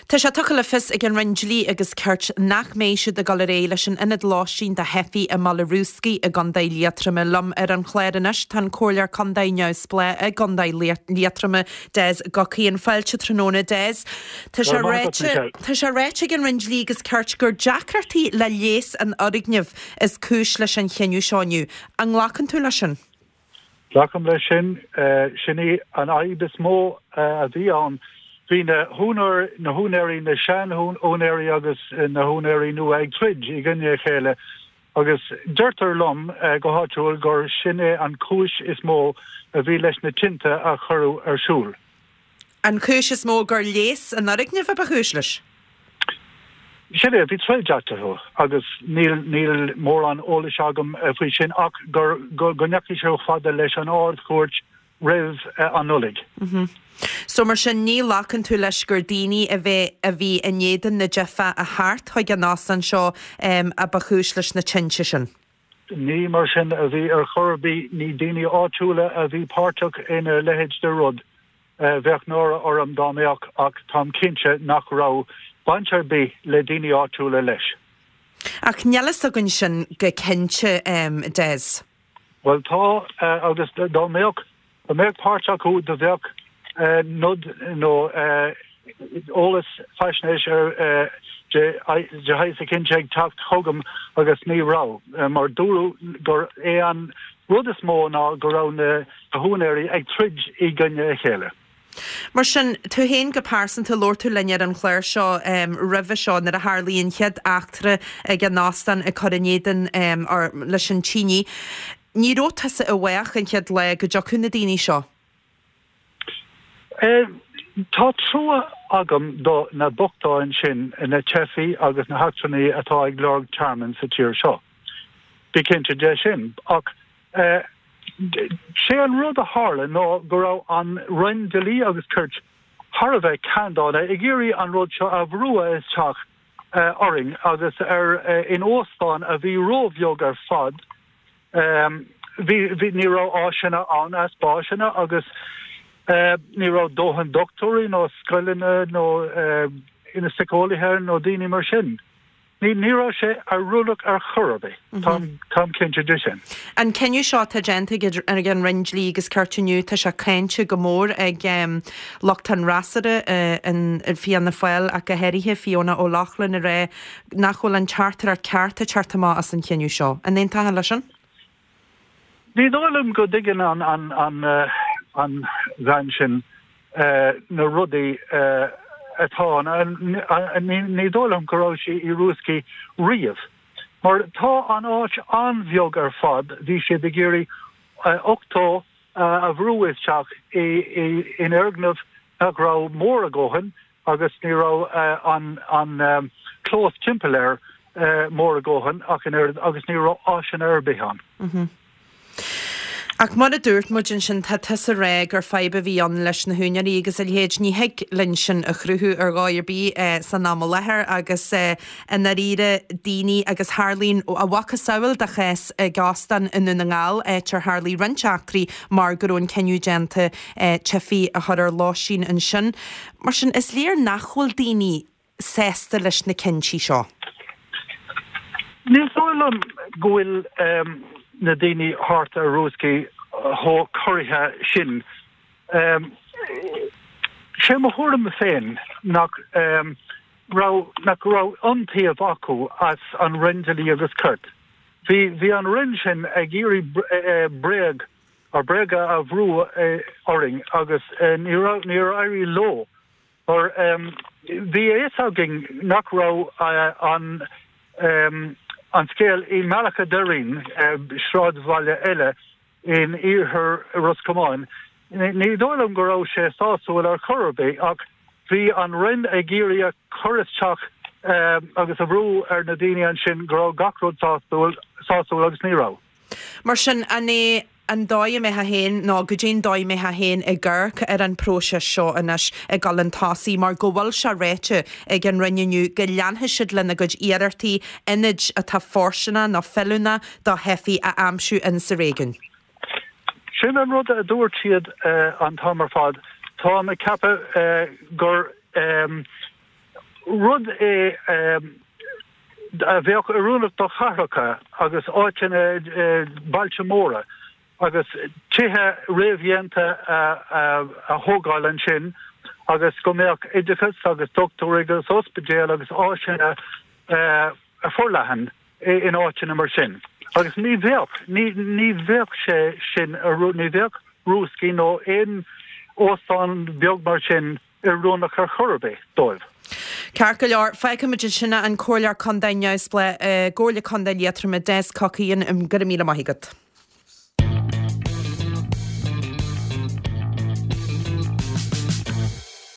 Tá sé tugtha le fios ag an Roinn Dlí agus Cirt nach mbeidh siad ag dul ar aghaidh leis an ionad lóistín do theifigh i mBaile Rúscaí i gContae Liatroma. Liom ar an chlár anois tá an Comhairleoir Contae neamhspleách i gContae Liatroma, Des Guckian. Fáilte tráthnóna, Des. Tá sé ráite tá sé ráite ag an Roinn Dlí agus Cirt gur deacrachtaí le léas an fhoirgnimh is cúis leis an chinneadh seo inniu. An nglacann tú leis sin? Glacaim leis sin. Sin í an fhadhb is mó a bhí ann. Bhí na húinéirí, na sean-úinéirí agus na húinéirí nua ag troid i gcoinne a chéile agus deirtear liom go háitiúil gur sin é an chúis is mó a bhí leis na tinte a cuireadh ar siúl. An chúis is mó gur léas an fhoirgnimh a ba chúis leis? Sin é, bhí troid eatarthu agus níl, níl mórán eolais agam faoi sin ach gur, go ndeachaigh sé chomh fada leis an Ard-Chúirt roimh an Nollaig. So mar sin ní ghlacann tú leis gur daoine a bheith, a bhí in éadan na dteifeach a theacht chuig an óstán seo a ba chúis leis na tinte sin? Ní mar sin a bhí ar chor ar bith, ní daoine áitiúla a bhí páirteach ina leithéid de rud. Bheadh náire orm dá mbeadh ach táim cinnte nach raibh baint ar bith le daoine áitiúla leis. Ach níl fhios againn sin go cinnte, Des. Bhuel tá, agus dá mbeadh, dá mbeadh páirt acu do bheadh nod nó eolas, faisnéis ar de shaghas eicínt ag teacht chugam agus ní raibh, mar dúradh gur é an rud is mó ná go raibh na húinéirí ag troid i gcoinne a chéile. Mar sin, tú féin go pearsanta, labhair tú linn ar an chlár seo roimhe seo nuair a tharlaigh an chéad eachtra ag an óstán ag cur in éadan leis an tine. Ní raibh tusa i bhfách an chéad lá go dtiocfadh na daoine seo? Tá trua agam do na bochtáin sin, na teifigh agus na heachtrannaigh atá ag lorg tearmainn sa tír seo. Bí cinnte de sin. Ach sé an rud a tharla ná go raibh an Roinn Dlí agus Cirt thar a bheith ceanndána ag iarraidh an rud seo a bhrú isteach orainn agus ar in óstán a bhí róbheag ar fad. Bhí, bhí, ní raibh áiseanna ann, easpa áiseanna agus ní raibh dóthain dochtúirí nó scoileanna nó na síceolaithe nó daoine mar sin. Ní, ní raibh sé oiriúnach ar chor ar bith, táim, táim cinnte de sin. An cinneadh seo atá déanta ag an Roinn Dlí agus Cirt inniu, tá sé cáinte go mór ag lucht an fhreasúra in Fianna Fáil ach go háirithe Fiona O'Loughlin ag rá nach bhfuil an teachtaireacht ceart ag teacht amach as an chinneadh seo. An aontófá leis sin? Ní dóigh liom go dtuigeann an bhean sin na rudaí atá ann. Ní dóigh liom go raibh sí i Rúscaí riamh. Mar tá an áit an-bheag ar fad, bhí siad ag iarraidh 80 a bhrú isteach in fhoirgneamh nach raibh mór a dhóthain agus ní raibh an clós timpeall air mór a dhóthain ach an oiread agus ní raibh áiseanna ar bith ann. Ach mar a dúirt muid ansin, tá tusa ag rá gur fadhb a bhí ann leis na húinéirí agus a leithéid. Ní thig linn sin a chruthú ar dhóigh ar bith san am i láthair agus i ndáiríre daoine agus tharlaíonn a mhacasamhail de chás ag óstán i nDún na nGall, áit ar tharlaigh roinnt eachtraí mar go raibh an cinneadh déanta teifigh a chur ar lóistín ansin. Mar sin, is léir nach bhfuil daoine sásta leis na cinntí seo. Ní dóigh liom go bhfuil na daoine thart ar Rúscaí chomh corraithe sin. Sé mo thuairim féin nach raibh nach raibh iontaoibh acu as an Roinn Dlí agus Cirt. Bhí bhí an Roinn sin ag iarraidh bréag ar bréaga a bhrú orainn agus ní raibh, níor éirigh leo mar bhí a fhios againn nach raibh an an scéal i mBealach a' Doirín, sráidbhaile eile in iarthar Ros Comáin, ní dóigh liom go raibh sé sásúil ar chor ar bith ach bhí an Roinn ag iarraidh a chur isteach agus a bhrú ar na daoine ansin go raibh gach rud sásúil, sásúil agus ní raibh. Mar sin, an é an dóigh a mbeifeá féin, nó goidé an dóigh a mbeifeá féin ag amharc ar an bpróiseas seo anois ag dul chun tosaigh, mar go bhfuil sé ráite ag an Roinn inniu go leanfaidh siad lena gcuid iarrachtaí ionaid atá fóirsteanach nó feiliúnach do theifigh a aimsiú in sa réigiún? Sin an rud a dúirt siad an t-am ar fad. Táim ag ceapadh gur. rud é a bheadh oiriúnach do chathracha agus áiteanna, bailte móra, agus tithe réamhdhéanta a thógáil ansin agus go mbeadh oideachas agus dochtúirí agus ospidéal agus áiseanna forleathan in áiteanna mar sin. Agus ní bheadh, ní bheadh sé sin, ní bheadh Rúscaí nó aon óstán beag mar sin oiriúnach ar chor ar bith dóibh. Ceart go leor, fágfaimid ansin é, an Comhairleoir Contae Neamhspleách i gComhairle Contae Liatroma, Des Cockayne, go raibh míle maith agat.